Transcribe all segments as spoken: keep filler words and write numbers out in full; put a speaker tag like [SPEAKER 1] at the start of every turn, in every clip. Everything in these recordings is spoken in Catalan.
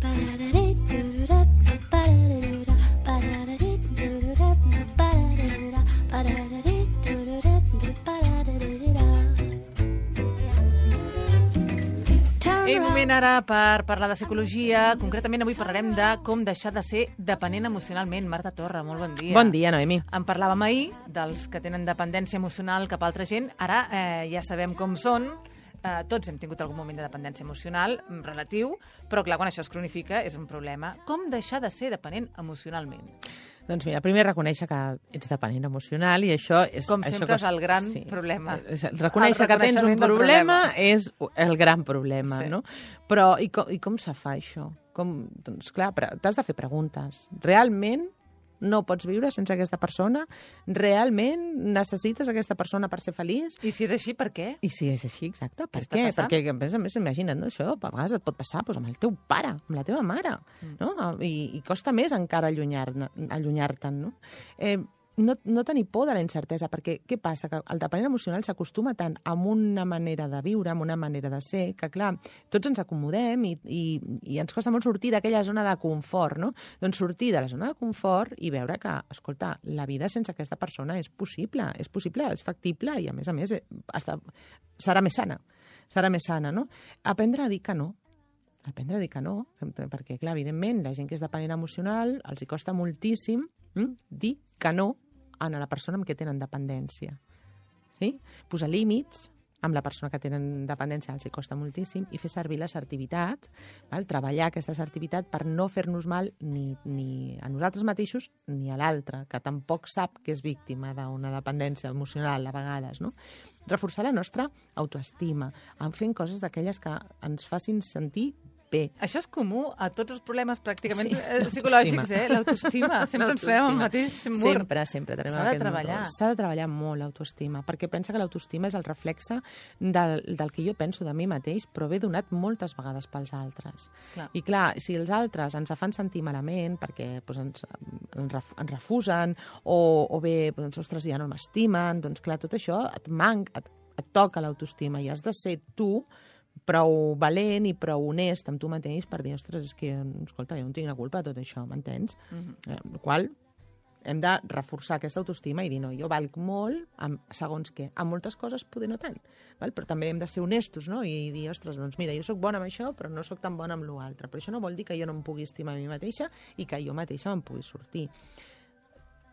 [SPEAKER 1] És moment ara per parlar de psicologia. Concretament avui parlarem de com deixar de ser dependent emocionalment. Marta Torra, molt bon dia.
[SPEAKER 2] Bon dia, Noemi.
[SPEAKER 1] En parlàvem ahir dels que tenen dependència emocional cap a altra gent. Ara eh, ja sabem com són. Eh, tots hem tingut algun moment de dependència emocional relatiu, però clar, quan això es cronifica és un problema. Com deixar de ser dependent emocionalment?
[SPEAKER 2] Doncs mira, primer reconèixer que ets dependent emocional i això és...
[SPEAKER 1] Com
[SPEAKER 2] això
[SPEAKER 1] sempre
[SPEAKER 2] cost...
[SPEAKER 1] és el gran
[SPEAKER 2] sí.
[SPEAKER 1] problema.
[SPEAKER 2] Reconèixer que tens un problema, problema és el gran problema,
[SPEAKER 1] sí.
[SPEAKER 2] no? Però i com, i com se fa això? Com, doncs clar, t'has de fer preguntes. Realment no pots viure sense aquesta persona? Realment necessites aquesta persona per ser feliç?
[SPEAKER 1] I si és així, per què?
[SPEAKER 2] I si és així, exacte, per
[SPEAKER 1] què?
[SPEAKER 2] què? Perquè, a més a més, imagina't, no, això a vegades et pot passar doncs, amb el teu pare, amb la teva mare, mm. no? I, I costa més encara allunyar-te'n, allunyar no? Eh, No, no tenir por de la incertesa, perquè què passa? Que el dependent emocional s'acostuma tant a una manera de viure, a una manera de ser, que clar, tots ens acomodem i, i, i ens costa molt sortir d'aquella zona de confort, no? Doncs sortir de la zona de confort i veure que, escolta, la vida sense aquesta persona és possible, és possible, és factible i a més a més hasta, serà més sana, serà més sana, no? Aprendre a dir que no, aprendre a dir que no, perquè clar, evidentment, la gent que és dependent emocional els hi costa moltíssim hm, dir que no a la persona amb què tenen dependència. Sí? Posar límits amb la persona que tenen dependència els hi costa moltíssim i fer servir l'assertivitat, val? Treballar aquesta assertivitat per no fer-nos mal ni, ni a nosaltres mateixos ni a l'altre, que tampoc sap que és víctima d'una dependència emocional a vegades, no? Reforçar la nostra autoestima, fent coses d'aquelles que ens facin sentir bé.
[SPEAKER 1] Això és comú a tots els problemes pràcticament sí, psicològics, eh? L'autoestima. Sempre ens fem el mateix mur.
[SPEAKER 2] Sempre, sempre.
[SPEAKER 1] S'ha de treballar.
[SPEAKER 2] S'ha de treballar molt l'autoestima, perquè pensa que l'autoestima és el reflexe del, del que jo penso de mi mateix, però ve donat moltes vegades pels altres. Clar. I clar, si els altres ens fan sentir malament perquè doncs, ens, ens refusen o, o bé, doncs, ostres, ja no m'estimen, doncs clar, tot això et manca, et, et toca l'autoestima i has de ser tu prou valent i prou honest amb tu mateix per dir, ostres, és que, escolta, jo no tinc la culpa de tot això, m'entens? Mm-hmm. eh, el qual hem de reforçar aquesta autoestima i dir, no, jo valc molt, amb, segons què, amb moltes coses poder no tant, val? Però també hem de ser honestos, no? I dir, ostres, doncs mira, jo sóc bona amb això, però no sóc tan bona amb l'altre, però això no vol dir que jo no em pugui estimar a mi mateixa i que jo mateixa me'n pugui sortir.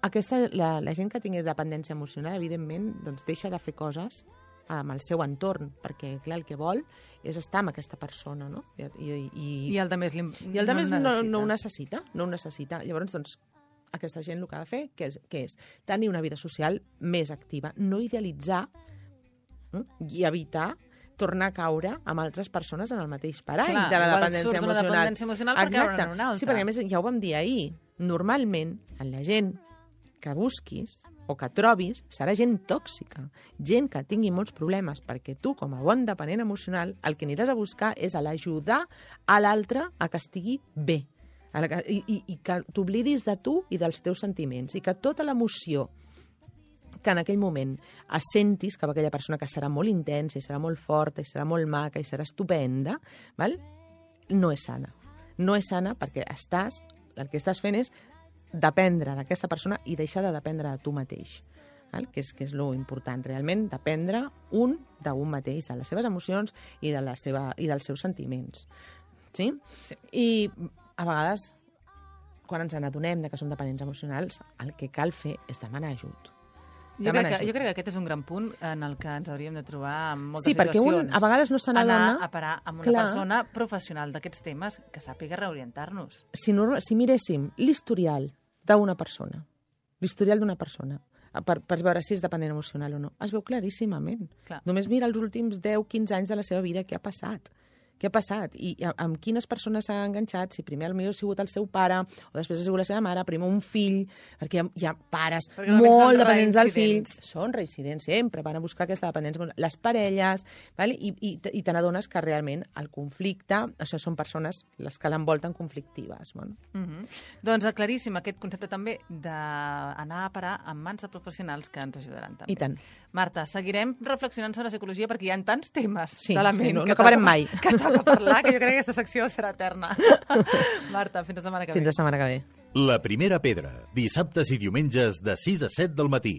[SPEAKER 2] Aquesta, la, la gent que tingui dependència emocional, evidentment, doncs deixa de fer coses amb el seu entorn, perquè, clar, el que vol és estar amb aquesta persona, no? I, i, i,
[SPEAKER 1] I el de més,
[SPEAKER 2] i el de més no, no ho necessita, no ho necessita. Llavors, doncs, aquesta gent el que ha de fer, què és? Què és? Tenir una vida social més activa, no idealitzar eh? i evitar tornar a caure amb altres persones en el mateix parany
[SPEAKER 1] clar,
[SPEAKER 2] de la dependència emocional.
[SPEAKER 1] La dependència emocional per caure en una altra.
[SPEAKER 2] Sí, perquè a més ja ho vam dir ahir, normalment, en la gent que busquis o que trobis, serà gent tòxica, gent que tingui molts problemes, perquè tu, com a bon dependent emocional, el que aniràs a buscar és a l'ajudar a l'altre a que estigui bé, a la que, i, i, i que t'oblidis de tu i dels teus sentiments, i que tota l'emoció que en aquell moment assentis cap a aquella persona que serà molt intensa, i serà molt forta, i serà molt maca, i serà estupenda, val? No és sana. No és sana perquè estàs, el que estàs fent és dependre d'aquesta persona i deixar de dependre de tu mateix, val? Que és, que és lo important, realment, dependre un d'un mateix, de les seves emocions i, de la seva, i dels seus sentiments. Sí? Sí. I a vegades, quan ens n'adonem de que som dependents emocionals, el que cal fer és demanar ajut.
[SPEAKER 1] Jo crec, que, jo crec que aquest és un gran punt en el que ens hauríem de trobar en moltes
[SPEAKER 2] sí, situacions. Sí, perquè un a vegades no se n'adona...
[SPEAKER 1] Anar a parar amb una clar. persona professional d'aquests temes que sàpiga reorientar-nos.
[SPEAKER 2] Si, no, si miréssim l'historial d'una persona, l'historial d'una persona, per, per veure si és dependent emocional o no, es veu claríssimament. Clar. Només mira els últims deu a quinze anys de la seva vida què ha passat. Què ha passat? I amb quines persones s'ha enganxat? Si primer potser ha sigut el seu pare, o després ha sigut la seva mare, primer un fill, perquè hi ha, hi ha pares molt dependents del fill. Són reincidents, sempre van a buscar aquesta dependència. Les parelles, val? i, i, i te n'adones que realment el conflicte, això són persones les que l'envolten conflictives. Bueno.
[SPEAKER 1] Mm-hmm. Doncs claríssim aquest concepte també d'anar a parar en mans de professionals que ens ajudaran també.
[SPEAKER 2] I tant.
[SPEAKER 1] Marta, seguirem reflexionant sobre la psicologia perquè hi ha tants temes
[SPEAKER 2] sí,
[SPEAKER 1] de la ment
[SPEAKER 2] sí, no,
[SPEAKER 1] que
[SPEAKER 2] no acabarem mai.
[SPEAKER 1] Que toca parlar, que jo crec que aquesta secció serà eterna. Marta, fins la setmana que ve.
[SPEAKER 2] Fins la setmana que ve.
[SPEAKER 3] La primera pedra, dissabtes i diumenges de sis a set del matí.